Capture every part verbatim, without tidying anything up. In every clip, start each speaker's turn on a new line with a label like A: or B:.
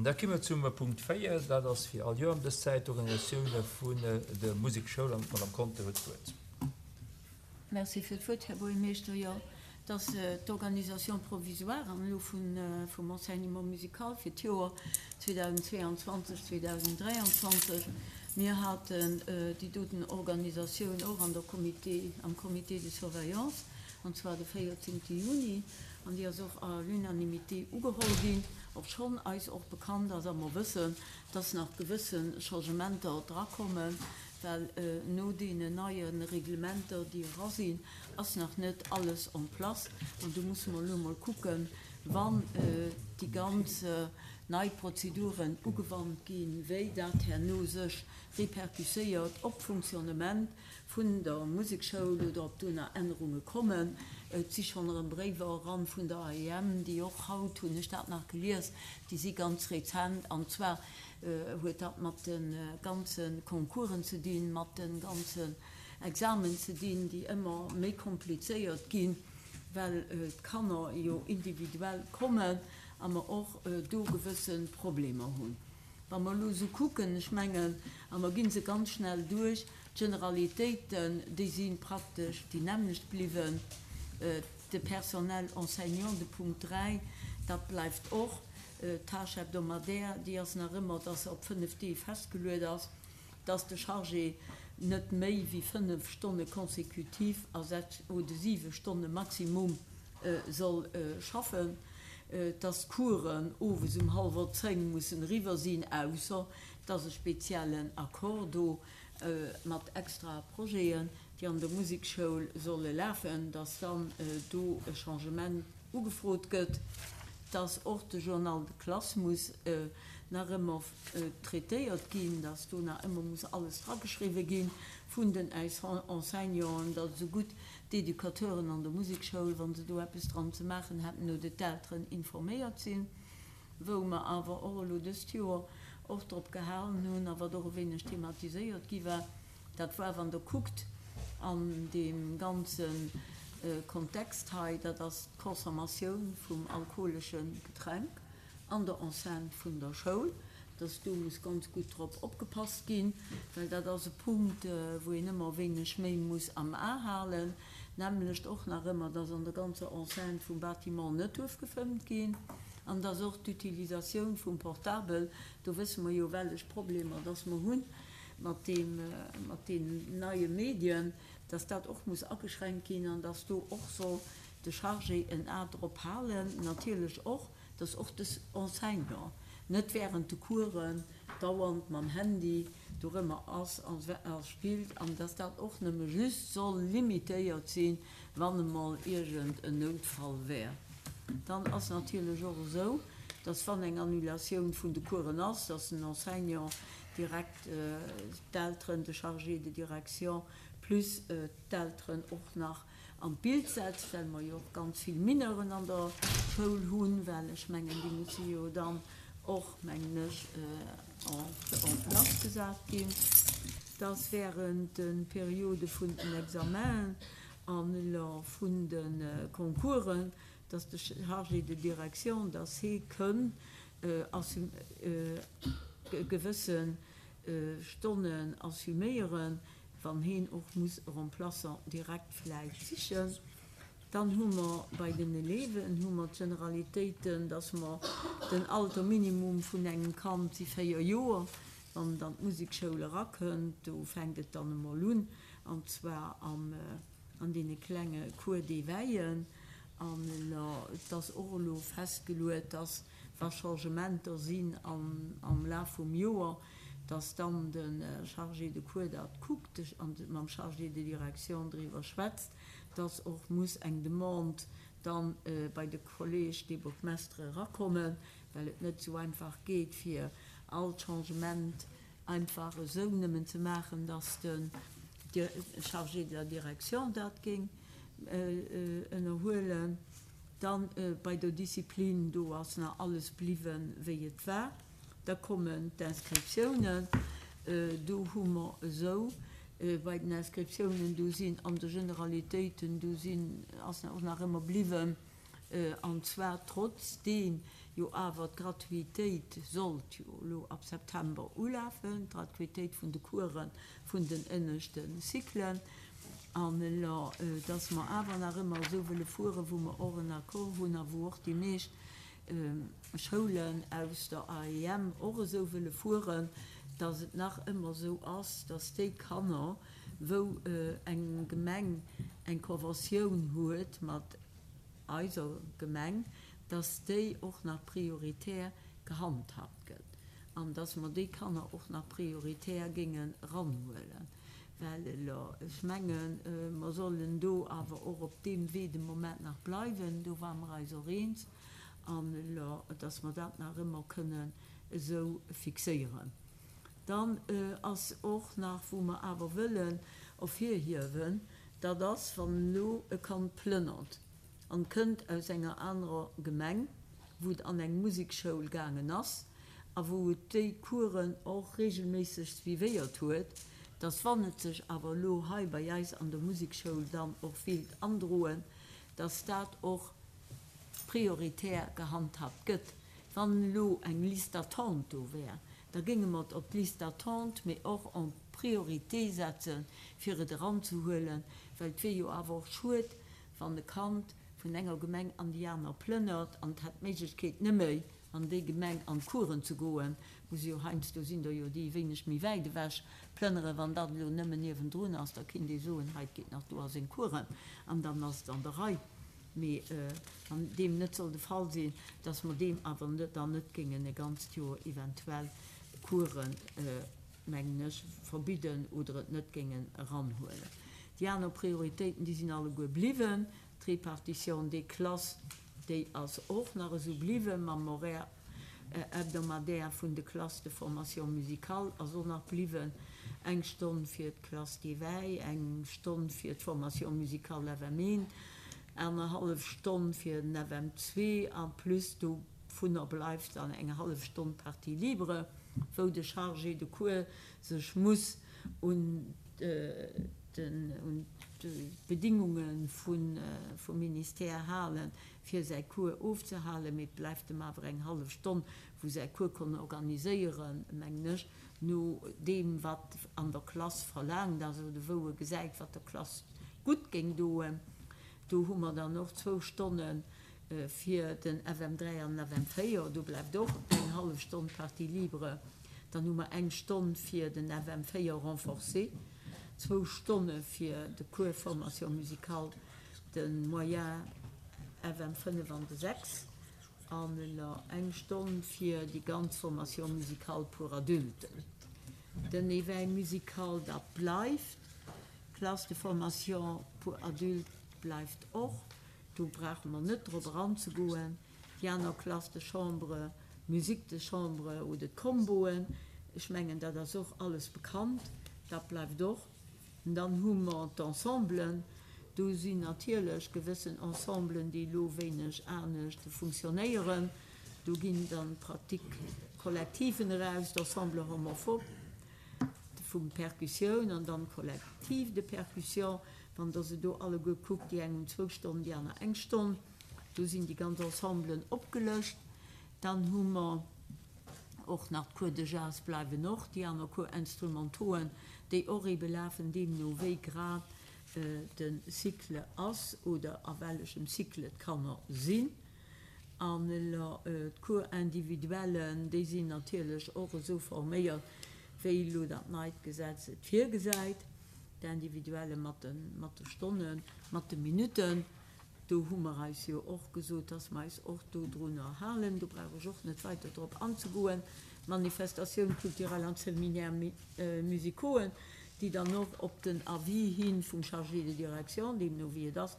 A: Da komme mer zum Punkt véier, dat ass wéi all Joer ëm dës Zäit d'Organisatioun vun der Musekschoul an d'Madame Conter huet d'Wuert.
B: Merci fir d'Wuert, Här Buergermeeschter. Jo, et ass d'Organisation provisoire an elo vum Enseignement musical fir d'Joer zweedausendzweeanzwanzeg, zweedausenddräianzwanzeg. Mir haten déi doten Organisatioun och an der Comité, am Comité de surveillance, an zwar de véierzéngte Juni, an déi ass och à l'unanimité ugeholl ginn, obschonn eis och bekannt ass a mer wëssen, dass nach gewësse Changementer drakommen, well no deenen neie Reglementer, déi era sinn, ass nach net alles en place. An do musse mer elo emol kucken, wann déi ganz nei Prozeduren ugewannt ginn, wéi dat herno sech répercusséiert op d'Fonctionnement vun der Musekschoul oder ob do nach Ännerunge kommen. Et si schonn erëm Bréiwer eran vun der A E M, déi och haut, hunn ech dat nach gelies, déi si ganz rezent, an zwar huet dat mat de ganze Concoursen ze dinn, mat de ganzen Examen ze dinn, déi ëmmer méi komplizéiert ginn, well d'Kanner jo individuell kommen a mer och do gewësse Problemer hunn. Wa mer elo esou kucken, ech mengen, a mer gi se ganz schnell duerch, d'Generalitéiten, déi si praktesch déi nämmlecht bliwwen. De Personnel enseignant, de Punkt dräi, dat bleift och. D'Tâche hebdomadaire, déi ass nach ëmmer, dass se op fënnef Deeg festgeluet ass, dass de Chargé net méi wéi fënnef Stonne consécutif a sechs oder siwe Stonne maximum soll schaffen, dass d'Coursen owes um hallwer zéng mussen eriwwer sinn, ausser et ass e speziellen Accord do mat extra Projeten, déi an der Musekschoul solle lafen, dass dann do e Changement ugefrot gëtt, dass och de Journal de classe muss nach ëmmer traitéiert ginn, dass do nach ëmmer muss alles drageschriwwe gi vun den Enseignanten, datt esou gutt d'Educateuren an der Musekschoul, wa se do eppes dran ze maachen hätten, oder d'Elteren informéiert sinn. Wou mer awer och elo dëst Joer och drop gehalen hunn a wat och e wéineg thematiséiert gi war, dat war, wann Der kuckt an deem ganze Kontext hei, dat ass d'Consommatioun vum alkoholesche Getränk an der Enceinte vun der Schoul, dass do muss ganz gutt drop opgepasst ginn, well dat ass e Punkt, wou een ëmmer e wéineg méi muss am A halen, nämlecht och nach ëmmer, dass an der ganzer Enceinte vum Bâtiment net duerf gefëmmt ginn an dass och d'Utilisatioun vum Portabel, do wësse mer jo, wellech Problemer dass mer hu mat deem, mat deenen neie Medien, dass dat och muss ageschränkt ginn an dass do och soll de Chargé en A drop halen, natierlech och, dass och de Enseignant net während de Coursen dauernd mam Handy dorëmmer ass a spillt an dass dat och nëmme just soll limitéiert sinn, wann emol iergend en Noutfall wär. Dann ass natierlech och esou, dass wann eng Annulatioun vun de Coursen ass, dass den Enseignant direkt d'Elteren, de Chargé de direction plus d'Elteren och nach an d'Bild setzt, well mer jo och ganz vill Mineuren an der Schoul hunn, well ech mengen, déi musse jo dann och, mengen ech, en place gesat ginn, dass während de Periode vun den Examenen an vun de Concoursen, dass de Chargé de direction, dass hee kënn gewësse Stonnen assuméieren, wann heen och muss e Remplaçant direkt vläicht sichen. Dann hu mer bei den Élèven hu mer d'Generalitéiten, dass mer den Alter minimum vun engem Kand si véier Joer, wann et an d'Musekschoul erakënnt. Do fänkt et dann emol un, an zwar am an deene klenge Cours d'éveillen. An et ass och elo festgeluet, dass wa Changementer sinn am Laf vum Joer, dass dann de Chargé de cours dat kuckt an mam Chargé de direction driwwer schwätzt, dass och muss eng Demande dann bei de Collège des bourgmestres erakommen, well et net esou einfach geet, fir all Changement einfach esou nëmmen ze maachen, dass de Chargé de la direction dat géing ënnerhuelen. Dann bei der Disziplin, do ass nach alles bliwwen, wéi et war. Da kommen d'Inscriptiounen. Do hu mer esou bei den Inscriptiounen, do sinn an de Generalitéiten, do sinn, ass och nach ëmmer bliwwen, an zwar trotzdeem jo awer d'Gratuitéit sollt jo elo ab September ulafen, d'Gratuitéit vun de Coursen vun den ënneschte Cyclen, an elo, dass mer awer nach ëmmer esou wëlle fueren, wou mer och en Accord hunn a wou och déi meescht Schoulen aus der A E M och esou wëlle fueren, dass et nach ëmmer esou ass, dass déi Kanner, wou eng Gemeng eng Conventioun huet mat eiser Gemeng, dass déi och nach prioritär gehandhabt gëtt an dass mer déi Kanner och nach prioritär géingen eranhuelen. Well elo, ech mengen, mer sollen do awer och op deem Wee de Moment nach bleiwen, do ware mer eis och eens, an elo, dass mer dat nach ëmmer kënnen esou fixéieren. Dann ass och nach, wou mer awer wëllen ervirhiewen, dat ass, wann elo e Kand plënnert an kënnt aus enger anerer Gemeng, wou et an eng Musekschoul gaangen ass a wou et déi Coursen och regelméisseg suivéiert huet, dass wann et sech awer elo hei bei eis an der Musekschoul dann och willt androen, dass dat och prioritär gehandhabt gëtt. Wann elo eng Liste d'attente do wär, da géinge mer et op d'Liste d'attente, mee och en priorité setzen, fir et eranzehuelen, well et wier jo awer och schued, wann e Kand vun enger Gemeng an déi aner plënnert an et hätt d'Méiglechkeet nëmme an déi Gemeng an d'Coursen ze goen, wou se jo heiansdo sinn der jo déi wéineg méi wäit ewech plënneren. Wann dat elo nëmmen niewendrun ass, da kinnt ee soen, hei, et geet nach do a seng Coursen an dann ass et an der Rei. Mee wann deem net soll de Fall sinn, dass mer deem awer dann net géingen e ganzt Joer eventuell Coursen, mengen ech, verbidden oder et net géingen eranhuelen. Déi aner Prioritéiten, déi sinn alleguer bliwwen. D'Répartition des classes, déi ass och nach esou bliwwen, mam Horaire hebdomadaire vun de Classes de formation musicale ass och nach bliwwen, eng Stonn fir d'Classe d'éveil, eng Stonn fir d'Formation musicale F M eent, anerhallef Stonn fir den F M zwee, en plus dovunner bleift dann eng hallef Stonn Partie libre, wou de Chargé de cours sech muss un d'Bedingunge vum Ministère halen, fir säi Cours ofzehalen, mee et bleift em awer eng hallef Stonn, wou säi Cours kann organiséieren, mengen ech, no deem, wat an der Klass verlaangt ass oder wou e gesäit, wat der Klass gutt géing doen. Do hu mer dann och zwou Stonne fir den F M dräi an den F M véier, do bleift och eng hallef Stonn Partie libre. Dann hu mer eng Stonn fir den F M véier renforcé, zwou Stonne fir de Cours formation musicale, de moyen F M fënnef an de sechs, an eng Stonn fir déi ganz Formation musicale pour adultes. Den Éveil musical, dat bleift, d'Classe de formation pour adultes bleift och, do brauche mer net drop eranzegoen. Déi aner Classe de chambre, Musique de chambre oder d'Comboen, ech mengen, dat ass och alles bekannt, dat bleift och. Dann hu mer d'Ensemblen, do sinn natierlech gewëssen Ensemblen, déi elo wéineg anescht funktionéieren. Do ginn dann Pratique collectiven eraus, d'Ensemble homophobe vu Percussioun an dann Collectif de percussion. Wann Der se do alleguer kuckt, déi eng hunn zwou Stonnen, déi aner eng Stonn. Do sinn déi ganz Ensemblen opgelëscht. Dann hu mer och nach d'Cours de jazz bleiwen och, déi aner Cours instrumentauxen, déi och ebe lafen, deemno wéi grad de Cycle ass oder a wellechem Cycle d'Kanner sinn. An elo d'Cours individuellen, déi sinn natierlech och esou forméiert, wéi elo dat neit Gesetz et virgesäit, d'Individuelle mat de mat de Stonnen, mat de Minutten. Do hu mer eis jo och gesot, dass mer eis och dodrunner halen. Do brauch ech och net weider drop anzegoen. D'Manifestatioun culturelle an d'Séminaires musicauxen, déi dann och op den Avis hi vum Chargé de direction, deemno wéi et ass,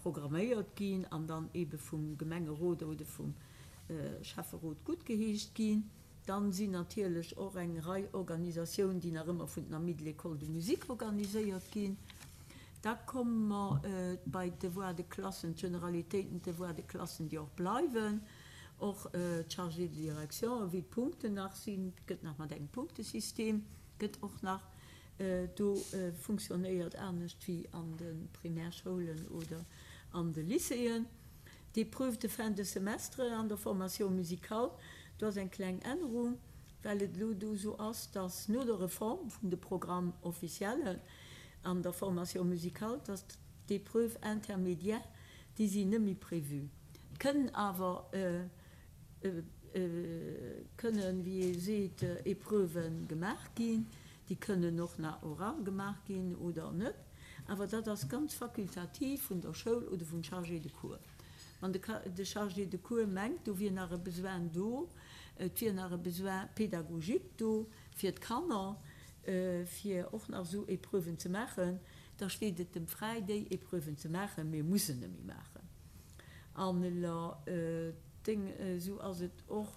B: programméiert ginn an dann eebe vum Gemengerot oder vum Schäfferot guttgeheescht ginn. Dann sinn natierlech och eng Rei Organisatiounen, déi nach ëmmer vun den Amis de l'École de musique organiséiert ginn. Da komme mer bei d'Devoirs de classen, d'Generalitéiten, d'Devoirs de classen, déi och bleiwen. Och d'Chargés de direction, wéi d'Punkten nach sinn, et gëtt nach mat engem Punktesystem, gëtt och nach do funktionéiert, anescht wéi an de Primärschoulen oder an de Lycéeën. D'Épreuves de fin de semestre an der Formation musicale, do ass eng kleng Ännerung, well et elo do esou ass, dass no der Reform vun de Programmes officiellen an der Formation musicale, dass d'Épreuves intermédiaires, déi sinn net méi prévu. Et kënnen awer, kënnen, wéi ee seet, Épreuve gemaach ginn, déi kënnen och nach oral gemaach ginn oder net, awer dat ass ganz fakultativ vun der Schoul oder vum Chargé de cours. Wann de Chargé de cours mengt, do wier nach e Besoin do, et wier nach e Besoin pédagogique do fir d'Kanner, fir och nach esou Épreuven ze maachen, da steet et em fräi, déi Épreuven ze maachen, mee e muss se net méi maachen. An elo esou ass et och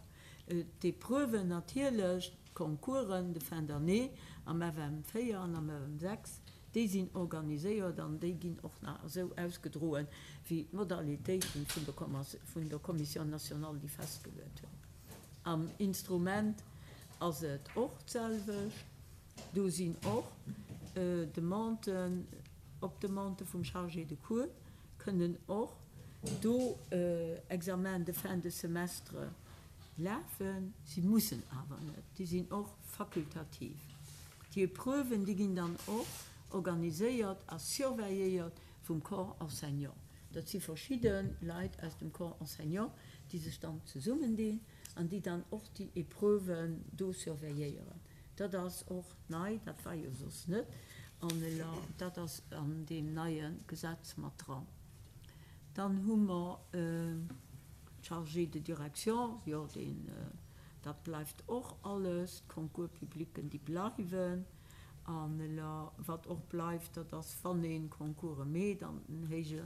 B: d'Épreuven natierlech, d'Concoursen de fin d'année am F M véier an am F M sechs, déi sinn organiséiert an déi ginn och nach esou ausgedroen, wéi d'Modalitéiten vun der Commission nationale déi festgeluet hunn. Am Instrument ass et och d'selwecht. Do sinn och Demanden, op Demande vum Chargé de cours kënnen och do Examens de fin de semestre lafen. Si mussen awer net, déi sinn och fakultativ. Déi Épreuven, déi ginn dann och organiséiert a surveilléiert vum Corps enseignant. Dat si verschidde Leit aus dem Corps enseignant, déi sech dann zesummendinn an déi dann och déi Épreuven do surveilléieren. Dat ass och nei, dat war jo soss net, an dat ass an deem neie Gesetz mat dran. Dann hu mer d'Chargé de direction, jo, deen, dat bleift och alles, d'Concours publics, déi bleiwen. An wat och bleift, dat ass, wann ee Concourse meet an den héije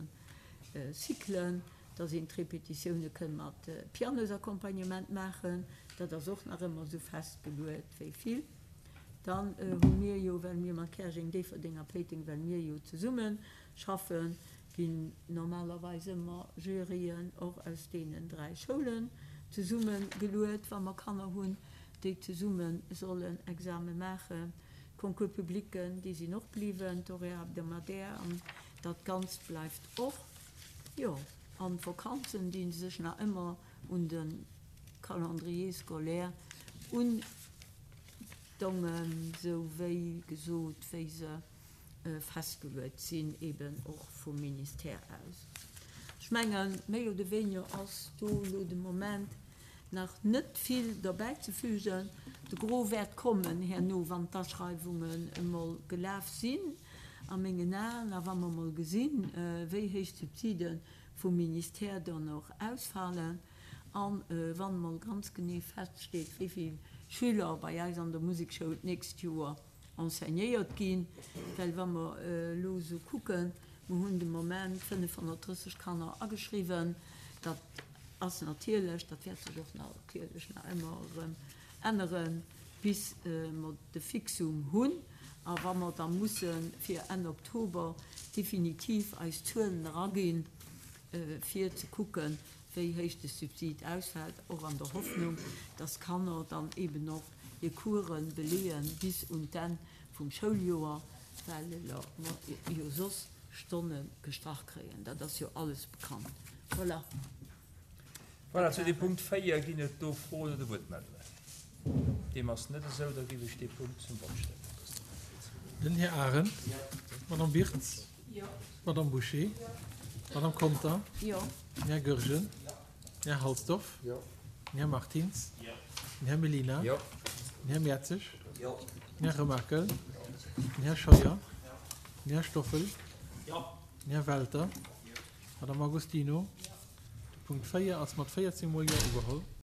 B: Cyclen, dass een d'Repetitioune kënn mat Pianosaccompagnement maachen. Dat ass och nach ëmmer esou festgeluet wéi vill. Dann hu mir jo, well mir mat Käerjeng, Déifferdeng a Péiteng, well mir jo zesumme schaffen, ginn normalerweis ëmmer Juryen och aus deenen dräi Schoulen zesummegeluet, wa mer Kanner hunn, déi zesumme sollen Exame maachen. D'Concours publics, déi sinn och bliwwen, d'Horaire hebdomadaire an dat Ganzt bleift och. Jo, an d'Vakanzen, déi sech nach ëmmer un de Calendrier scolaire undongen, sou wéi gesot, wéi se festgeluet sinn, eben och vum Ministère aus. Ech mengen, méi oder wéiniger ass do elo de Moment nach net vill derbäizefügen. De Gros wäert kommen herno, wann d'Aschreiwungen emol gelaf sinn, a mengen Aen, a wa mer emol gesinn, wéi héich d'Subside vum Ministère dann och ausfalen, a wann emol ganz genee feststeet, wéi vill Schüler bei eis an der Musekschoul d'nächst Joer enseignéiert ginn, well wa mer elo esou kucken, mer hunn de Moment fënnefhonnertdrësseg Kanner ageschriwwen, dat ass natierlech, dat wäert sech och natierlech nach ëmmer erëm änneren, bis mer de Fixum hunn a wa mer da musse fir Enn Oktober definitiv eis Zuelen eraginn, fir ze kucken, wéi héich de Subsid ausfält, och an der Hoffnung, dass d'Kanner dann eben och hir Coursen beleeën bis un d'Enn vum Schouljoer, well mer jo soss Stonne gestrach kréien. Dat ass jo alles bekannt. Voilà.
A: Voilà, zu dem Punkt véier ginn et do Froen oder Wuertmeldungen. Deem ass net esou, da géif ech dee Punkt zum Vott stellen.
C: Den Här Arendt, d'Madame Wirtz, d'Madame Bouché, d'Madame Conter, den Här Goergen, den Här Halsdorf, den Här Martins, den Här Mellina, den Här Mertzig, den Här Remakel, den Här Scheuer, den Här Stoffel, den Här Welter, d'Madame Agostino. De Punkt véier ass mat véierzéng Mol Jo ugeholl.